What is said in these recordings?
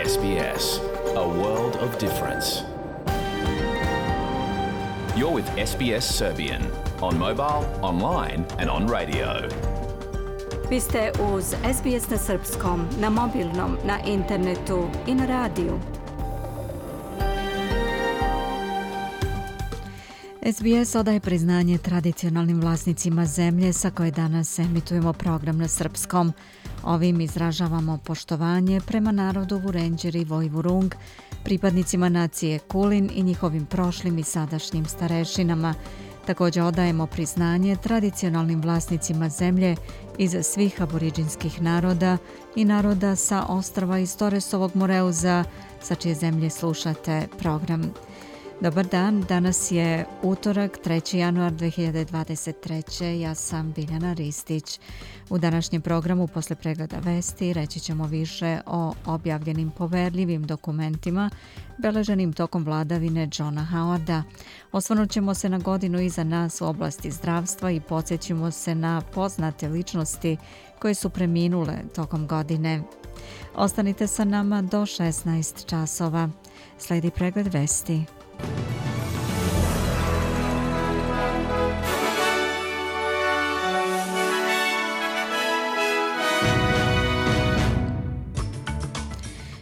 SBS, a world of difference. You're with SBS Serbian on mobile, online and on radio. Vi ste uz SBS na srpskom, na mobilnom, na internetu i na radiju. SBS odaje priznanje tradicionalnim vlasnicima zemlje sa koje danas emitujemo program na srpskom. Ovim izražavamo poštovanje prema narodu Vurenđeri i Vojvurung, pripadnicima nacije Kulin i njihovim prošlim i sadašnjim starešinama. Također odajemo priznanje tradicionalnim vlasnicima zemlje iz svih aboriđinskih naroda i naroda sa ostrva iz Toresovog Moreuza, sa čije zemlje slušate program. Dobar dan, danas je utorak, 3. januar 2023. Ja sam Biljana Ristić. U današnjem programu posle pregleda vesti reći ćemo više o objavljenim poverljivim dokumentima beleženim tokom vladavine Johna Howarda. Osvrnut ćemo se na godinu iza nas u oblasti zdravstva i podsjećimo se na poznate ličnosti koje su preminule tokom godine. Ostanite sa nama do 16 časova. Slijedi pregled vesti.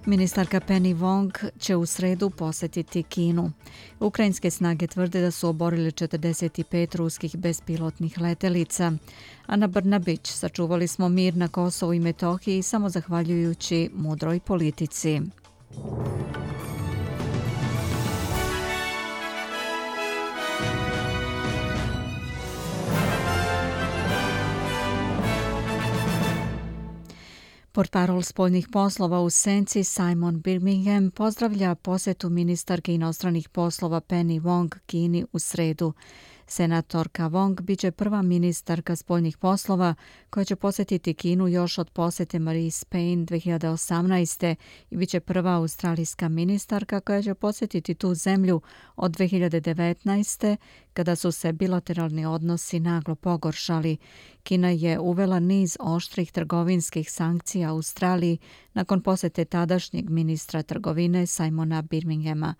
Ministarka Penny Wong će u sredu posjetiti Kinu. Ukrajinske snage tvrde da su oborili 45 ruskih bespilotnih letelica. Ana Brnabić, sačuvali smo mir na Kosovu i Metohiji samo zahvaljujući mudroj politici. Portparol spoljnih poslova u senci Simon Birmingham pozdravlja posjetu ministarke inostranih poslova Penny Wong Kini u sredu. Senatorka Wong biće prva ministarka spoljnih poslova koja će posjetiti Kinu još od posjete Marie Spain 2018. i biće prva australijska ministarka koja će posjetiti tu zemlju od 2019. kada su se bilateralni odnosi naglo pogoršali. Kina je uvela niz oštrih trgovinskih sankcija Australiji nakon posjete tadašnjeg ministra trgovine Simona Birminghama.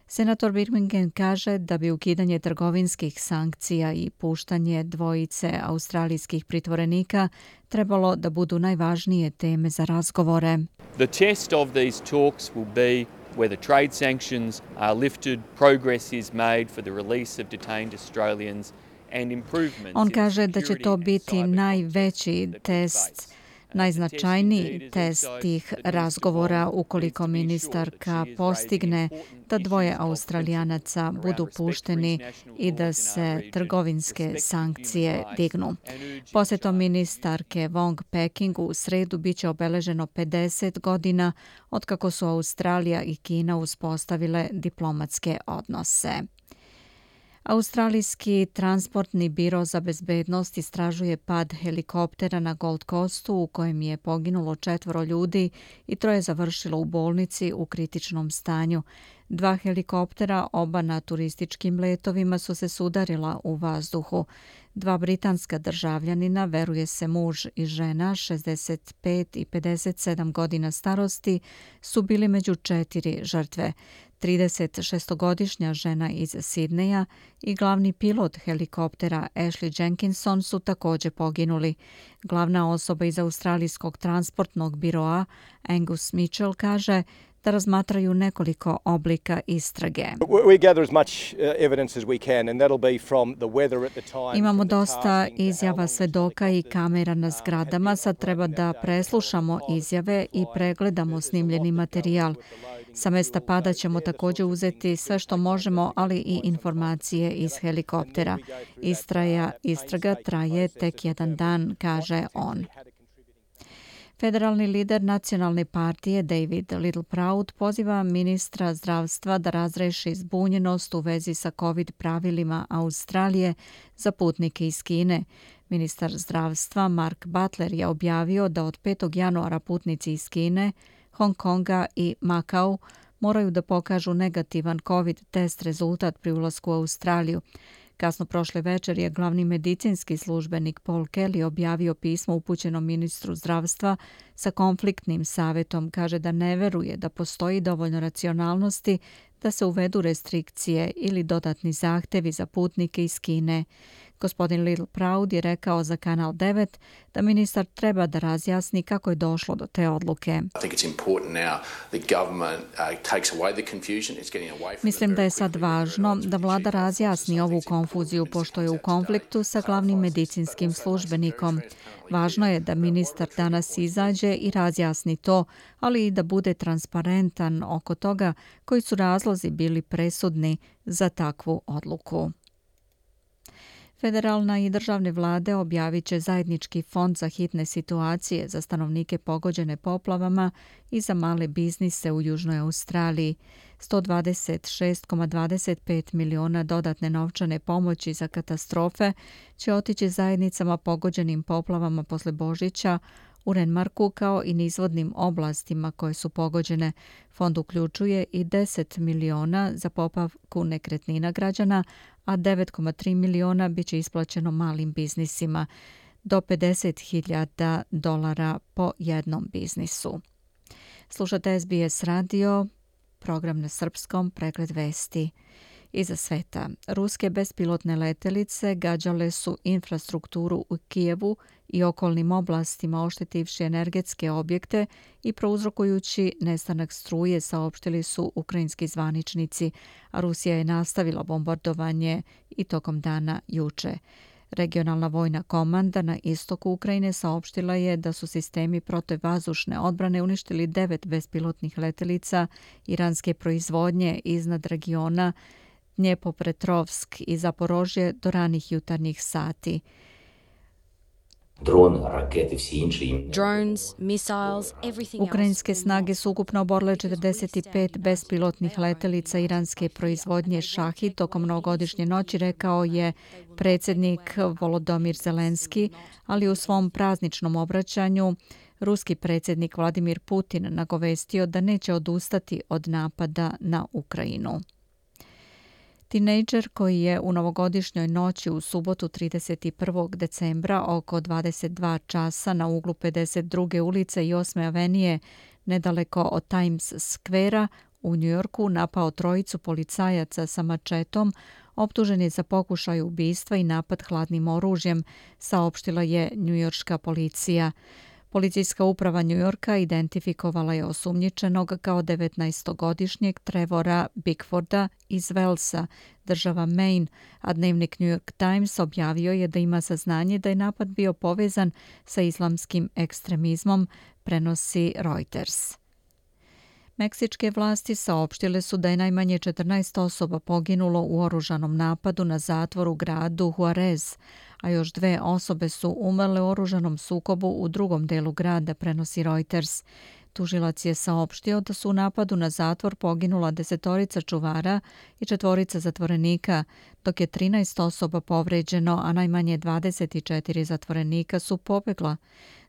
Senator Birmingham kaže da bi ukidanje trgovinskih sankcija i puštanje dvojice australijskih pritvorenika trebalo da budu najvažnije teme za razgovore. The test of these talks will be whether trade sanctions are lifted, progress is made for the release of detained Australians and improvements. On kaže da će to biti najveći test, najznačajniji test tih razgovora ukoliko ministarka postigne da dvoje Australijanaca budu pušteni i da se trgovinske sankcije dignu. Posjetom ministarke Wong Pekingu u sredu biće obeleženo 50 godina otkako su Australija i Kina uspostavile diplomatske odnose. Australijski transportni biro za bezbednost istražuje pad helikoptera na Gold Coastu u kojem je poginulo 4 ljudi i 3 završilo u bolnici u kritičnom stanju. 2 helikoptera, oba na turističkim letovima, su se sudarila u vazduhu. 2 britanska državljanina, veruje se muž i žena, 65 i 57 godina starosti, su bili među 4 žrtve. 36-godišnja žena iz Sidneja i glavni pilot helikoptera Ashley Jenkinson su također poginuli. Glavna osoba iz Australijskog transportnog biroa Angus Mitchell kaže da razmatraju nekoliko oblika istrage. Imamo dosta izjava svedoka i kamera na zgradama. Sad treba da preslušamo izjave i pregledamo snimljeni materijal. Sa mesta pada ćemo također uzeti sve što možemo, ali i informacije iz helikoptera. Istraga traje tek 1 dan, kaže on. Federalni lider nacionalne partije David Littleproud poziva ministra zdravstva da razreši zbunjenost u vezi sa COVID pravilima Australije za putnike iz Kine. Ministar zdravstva Mark Butler je objavio da od 5. januara putnici iz Kine, Hong Konga i Makau moraju da pokažu negativan COVID test rezultat pri ulasku u Australiju. Kasno prošle večer je glavni medicinski službenik Paul Kelly objavio pismo upućeno ministru zdravstva sa konfliktnim savjetom. Kaže da ne veruje da postoji dovoljno racionalnosti da se uvedu restrikcije ili dodatni zahtevi za putnike iz Kine. Gospodin Little Proud je rekao za Kanal 9 da ministar treba da razjasni kako je došlo do te odluke. Mislim da je sad važno da vlada razjasni ovu konfuziju pošto je u konfliktu sa glavnim medicinskim službenikom. Važno je da ministar danas izađe i razjasni to, ali i da bude transparentan oko toga koji su razlozi bili presudni za takvu odluku. Federalna i državne vlade objavit će zajednički fond za hitne situacije za stanovnike pogođene poplavama i za male biznise u Južnoj Australiji. 126,25 miliona dodatne novčane pomoći za katastrofe će otići zajednicama pogođenim poplavama posle Božića u Renmarku kao i nizvodnim oblastima koje su pogođene. Fond uključuje i 10 miliona za popravku nekretnina građana, a 9,3 miliona biće isplaćeno malim biznisima, do $50,000 po jednom biznisu. Slušate SBS radio, program na srpskom, pregled vesti. Iza sveta, ruske bespilotne letelice gađale su infrastrukturu u Kijevu i okolnim oblastima, oštetivši energetske objekte i prouzrokujući nestanak struje, saopštili su ukrajinski zvaničnici, a Rusija je nastavila bombardovanje i tokom dana juče. Regionalna vojna komanda na istoku Ukrajine saopštila je da su sistemi protivvazdušne odbrane uništili 9 bespilotnih letelica iranske proizvodnje iznad regiona Dnjepropetrovsk i Zaporožje do ranih jutarnjih sati. Ukrajinske snage su ukupno oborile 45 bespilotnih letelica iranske proizvodnje Šahid tokom novogodišnje noći, rekao je predsjednik Volodymyr Zelenski, ali u svom prazničnom obraćanju ruski predsjednik Vladimir Putin nagovestio da neće odustati od napada na Ukrajinu. Tinejdžer koji je u novogodišnjoj noći u subotu 31. decembra oko 22 časa na uglu 52. ulice i 8. avenije nedaleko od Times Square-a u Njujorku napao trojicu policajaca sa mačetom, optužen je za pokušaj ubistva i napad hladnim oružjem, saopštila je njujorška policija. Policijska uprava Njujorka identifikovala je osumnjičenog kao 19-godišnjeg Trevora Bickforda iz Walesa, država Maine, a dnevnik New York Times objavio je da ima saznanje da je napad bio povezan sa islamskim ekstremizmom, prenosi Reuters. Meksičke vlasti saopštile su da je najmanje 14 osoba poginulo u oružanom napadu na zatvor u gradu Juarez, a još 2 osobe su umrle u oružanom sukobu u drugom delu grada, prenosi Reuters. Tužilac je saopštio da su u napadu na zatvor poginula 10 čuvara i 4 zatvorenika, dok je 13 osoba povređeno, a najmanje 24 zatvorenika su pobegla.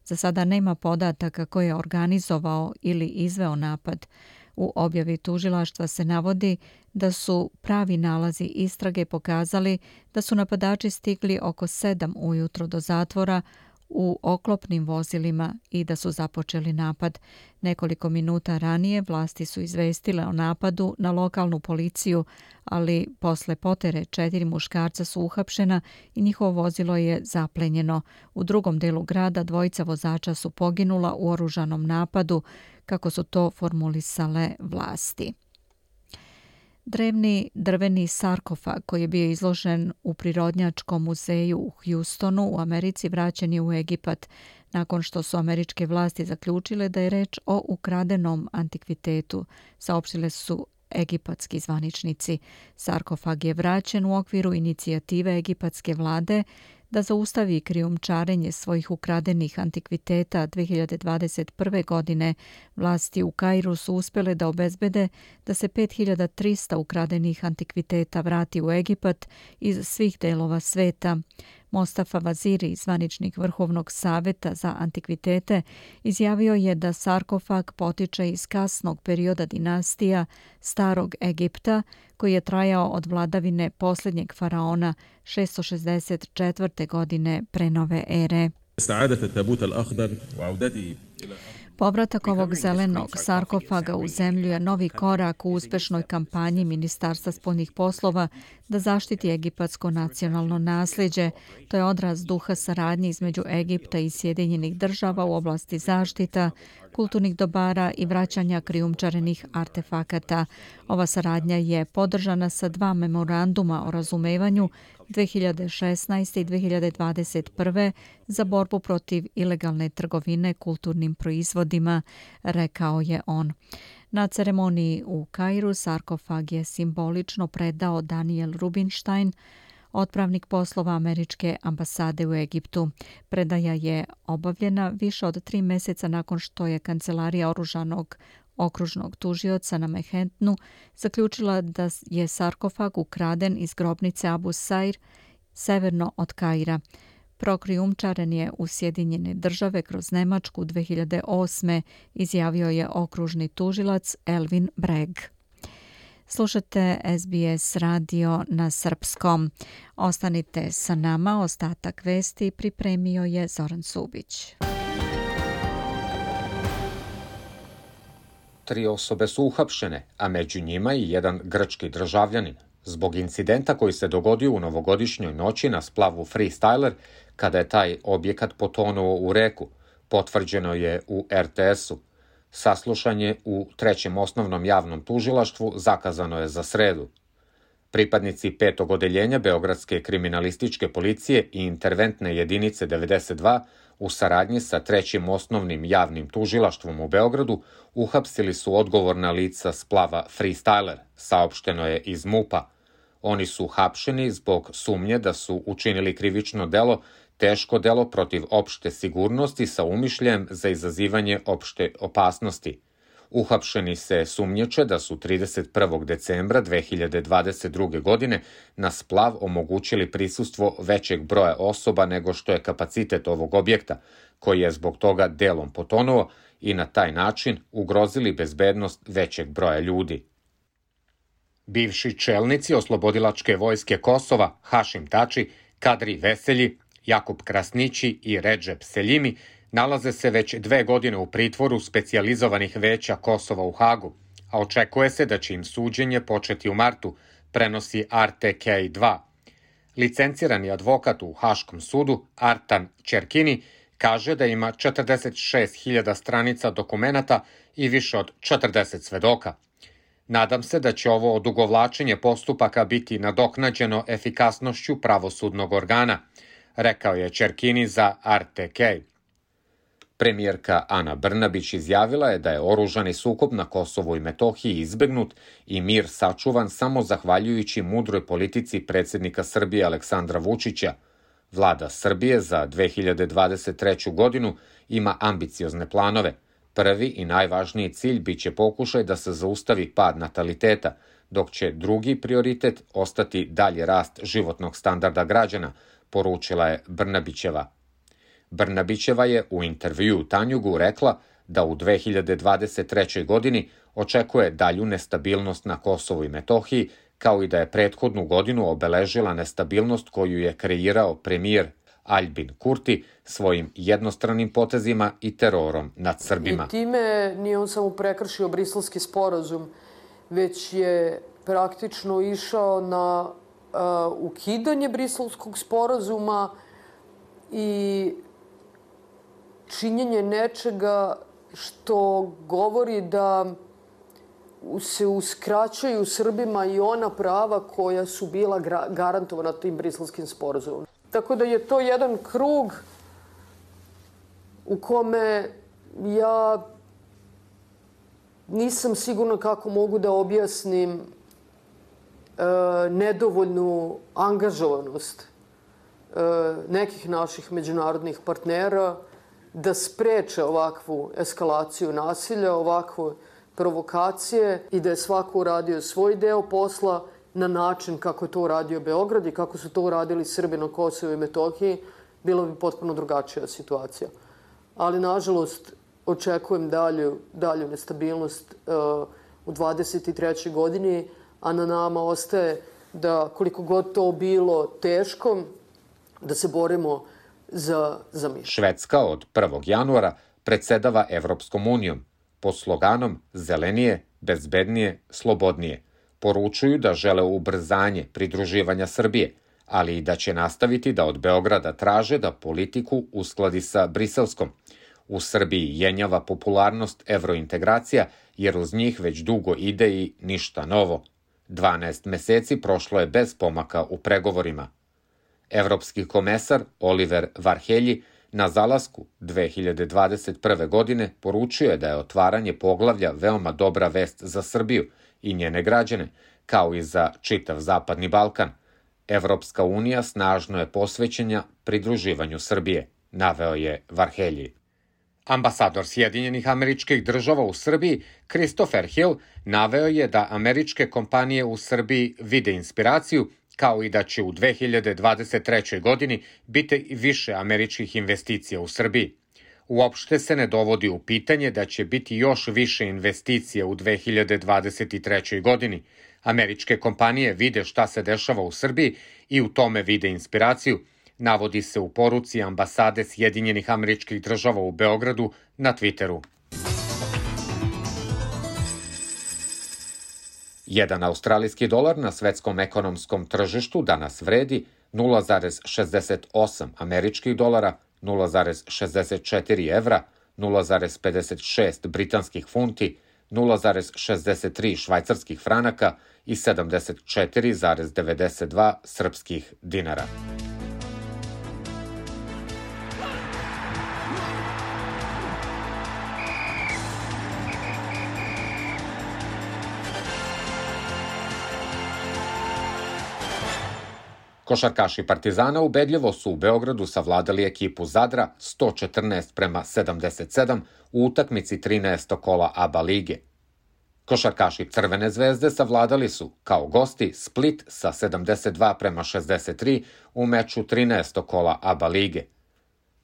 Za sada nema podataka ko je organizovao ili izveo napad. U objavi tužilaštva se navodi da su pravi nalazi istrage pokazali da su napadači stigli oko 7 ujutro do zatvora u oklopnim vozilima i da su započeli napad. Nekoliko minuta ranije vlasti su izvestile o napadu na lokalnu policiju, ali posle potere 4 muškarca su uhapšena i njihovo vozilo je zaplenjeno. U drugom delu grada 2 vozača su poginula u oružanom napadu, kako su to formulisale vlasti. Drevni drveni sarkofag koji je bio izložen u Prirodnjačkom muzeju u Houstonu u Americi vraćen je u Egipat nakon što su američke vlasti zaključile da je reč o ukradenom antikvitetu, saopštile su egipatski zvaničnici. Sarkofag je vraćen u okviru inicijative egipatske vlade da zaustavi krijumčarenje svojih ukradenih antikviteta. 2021. godine vlasti u Kairu su uspjele da obezbede da se 5300 ukradenih antikviteta vrati u Egipat iz svih delova sveta. Mostafa Vaziri, zvaničnik Vrhovnog savjeta za antikvitete, izjavio je da sarkofag potiče iz kasnog perioda dinastija Starog Egipta, koji je trajao od vladavine posljednjeg faraona 664. godine pre nove ere. Povratak ovog zelenog sarkofaga u zemlju je novi korak u uspešnoj kampanji Ministarstva spoljnih poslova da zaštiti egipatsko nacionalno nasljeđe. To je odraz duha saradnje između Egipta i Sjedinjenih država u oblasti zaštita, kulturnih dobara i vraćanja krijumčarenih artefakata. Ova saradnja je podržana sa 2 memoranduma o razumevanju 2016. i 2021. za borbu protiv ilegalne trgovine kulturnim proizvodima, rekao je on. Na ceremoniji u Kairu sarkofag je simbolično predao Daniel Rubinstein, otpravnik poslova američke ambasade u Egiptu. Predaja je obavljena više od 3 mjeseca nakon što je kancelarija oružanog okružnog tužioca na Manhattanu zaključila da je sarkofag ukraden iz grobnice Abu Sair severno od Kaira. Prokrijumčaren je u Sjedinjene države kroz Nemačku 2008. izjavio je okružni tužilac Elvin Breg. Slušate SBS radio na srpskom. Ostanite sa nama, ostatak vesti pripremio je Zoran Subić. 3 osobe su uhapšene, a među njima i jedan grčki državljanin, zbog incidenta koji se dogodio u novogodišnjoj noći na splavu Freestyler, kada je taj objekat potonuo u reku, potvrđeno je u RTS-u. Saslušanje u 3. osnovnom javnom tužilaštvu zakazano je za sredu. Pripadnici 5. odeljenja Beogradske kriminalističke policije i interventne jedinice 92 u saradnji sa 3. osnovnim javnim tužilaštvom u Beogradu uhapsili su odgovorna lica splava Freestyler, saopšteno je iz MUP-a. Oni su hapšeni zbog sumnje da su učinili krivično delo, teško delo protiv opšte sigurnosti sa umišljajem za izazivanje opšte opasnosti. Uhapšeni se sumnječe da su 31. decembra 2022. godine na splav omogućili prisustvo većeg broja osoba nego što je kapacitet ovog objekta, koji je zbog toga delom potonuo i na taj način ugrozili bezbednost većeg broja ljudi. Bivši čelnici Oslobodilačke vojske Kosova, Hašim Tači, Kadri Veselji, Jakub Krasnići i Redžep Seljimi nalaze se već 2 godine u pritvoru specijalizovanih veća Kosova u Hagu, a očekuje se da će im suđenje početi u martu, prenosi RTK2. Licencirani advokat u Haškom sudu, Artan Čerkini, kaže da ima 46.000 stranica dokumenata i više od 40 svedoka. Nadam se da će ovo odugovlačenje postupaka biti nadoknađeno efikasnošću pravosudnog organa, rekao je Čerkini za RTK. Premijerka Ana Brnabić izjavila je da je oružani sukob na Kosovu i Metohiji izbegnut i mir sačuvan samo zahvaljujući mudroj politici predsjednika Srbije Aleksandra Vučića. Vlada Srbije za 2023. godinu ima ambiciozne planove. Prvi i najvažniji cilj biće pokušaj da se zaustavi pad nataliteta, dok će drugi prioritet ostati dalji rast životnog standarda građana, poručila je Brnabićeva. Brnabićeva je u intervjuu Tanjugu rekla da u 2023. godini očekuje dalju nestabilnost na Kosovu i Metohiji, kao i da je prethodnu godinu obeležila nestabilnost koju je kreirao premijer Aljbin Kurti svojim jednostranim potezima i terorom nad Srbima. I time nije on samo prekršio Briselski sporazum, već je praktično išao na ukidanje Briselskog sporazuma i činjenje nečega što govori da se uskraćuju Srbima i ona prava koja su bila garantovana tim Briselskim sporazumom. Tako da je to jedan krug u kome ja nisam sigurna kako mogu da objasnim nedovoljnu angažovanost nekih naših međunarodnih partnera da spreče ovakvu eskalaciju nasilja, ovakve provokacije i da je svako uradio svoj deo posla na način kako je to uradio Beograd i kako su to uradili Srbi na Kosovu i Metohiji, bila bi potpuno drugačija situacija. Ali, nažalost, očekujem dalju nestabilnost u 23. godini, a na nama ostaje da, koliko god to bilo teško, da se borimo za mir. Švedska od 1. januara predsedava Evropskom unijom pod sloganom zelenije, bezbednije, slobodnije. Poručuju da žele ubrzanje pridruživanja Srbije, ali i da će nastaviti da od Beograda traže da politiku uskladi sa briselskom. U Srbiji jenjava popularnost evrointegracija, jer uz njih već dugo ide i ništa novo. 12 meseci prošlo je bez pomaka u pregovorima. Evropski komesar Oliver Varhelji na zalasku 2021. godine poručio je da je otvaranje poglavlja veoma dobra vest za Srbiju i njene građane, kao i za čitav Zapadni Balkan. Evropska unija snažno je posvećena pridruživanju Srbije, naveo je Varhelji. Ambasador Sjedinjenih Američkih Država u Srbiji, Christopher Hill, naveo je da američke kompanije u Srbiji vide inspiraciju, kao i da će u 2023. godini biti više američkih investicija u Srbiji. Uopšte se ne dovodi u pitanje da će biti još više investicija u 2023. godini. Američke kompanije vide šta se dešava u Srbiji i u tome vide inspiraciju, navodi se u poruci ambasade Sjedinjenih Američkih Država u Beogradu na Twitteru. Jedan australijski dolar na svetskom ekonomskom tržištu danas vredi 0,68 američkih dolara, 0,64 evra, 0,56 britanskih funti, 0,63 švajcarskih franaka i 74,92 srpskih dinara. Košarkaši Partizana ubedljivo su u Beogradu savladali ekipu Zadra 114-77 u utakmici 13. kola ABA lige. Košarkaši Crvene zvezde savladali su, kao gosti, Split sa 72-63 u meču 13. kola ABA lige.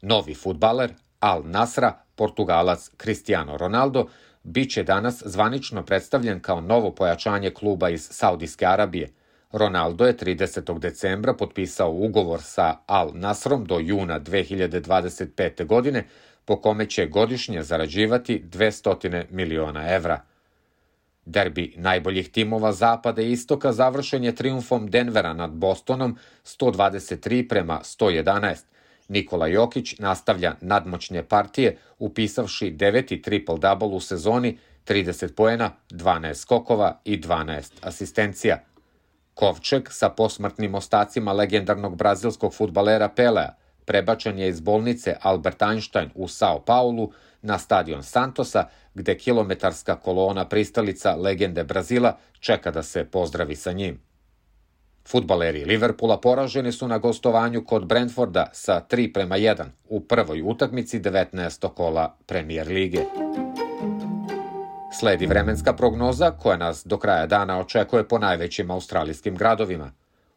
Novi fudbaler Al Nasra, Portugalac Cristiano Ronaldo, bit će danas zvanično predstavljen kao novo pojačanje kluba iz Saudijske Arabije. Ronaldo je 30. decembra potpisao ugovor sa Al Nasrom do juna 2025. godine, po kome će godišnje zarađivati 200 miliona evra. Derbi najboljih timova Zapada i Istoka završen je trijumfom Denvera nad Bostonom 123-111. Nikola Jokić nastavlja nadmoćne partije, upisavši 9. triple-double u sezoni, 30 poena, 12 skokova i 12 asistencija. Kovčeg sa posmrtnim ostacima legendarnog brazilskog fudbalera Pelea prebačen je iz bolnice Albert Einstein u Sao Paulu na stadion Santosa, gde kilometarska kolona pristalica legende Brazila čeka da se pozdravi sa njim. Fudbaleri Liverpoola poraženi su na gostovanju kod Brentforda sa 3-1 u prvoj utakmici 19. kola Premier lige. Sledi vremenska prognoza koja nas do kraja dana očekuje po najvećim australijskim gradovima.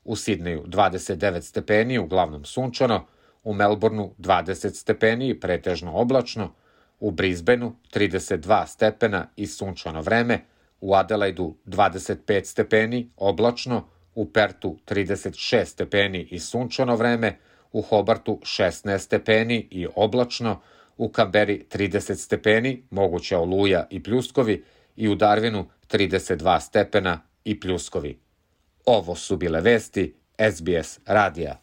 U Sidneju 29 stepeni, uglavnom sunčano, u Melbourneu 20 stepeni, pretežno oblačno, u Brisbaneu 32 stepena i sunčano vreme, u Adelaidu 25 stepeni, oblačno, u Pertu 36 stepeni i sunčano vreme, u Hobartu 16 stepeni i oblačno, u Kamberi 30 stepeni, moguća oluja i pljuskovi, i u Darwinu 32 stepena i pljuskovi. Ovo su bile vesti SBS radija.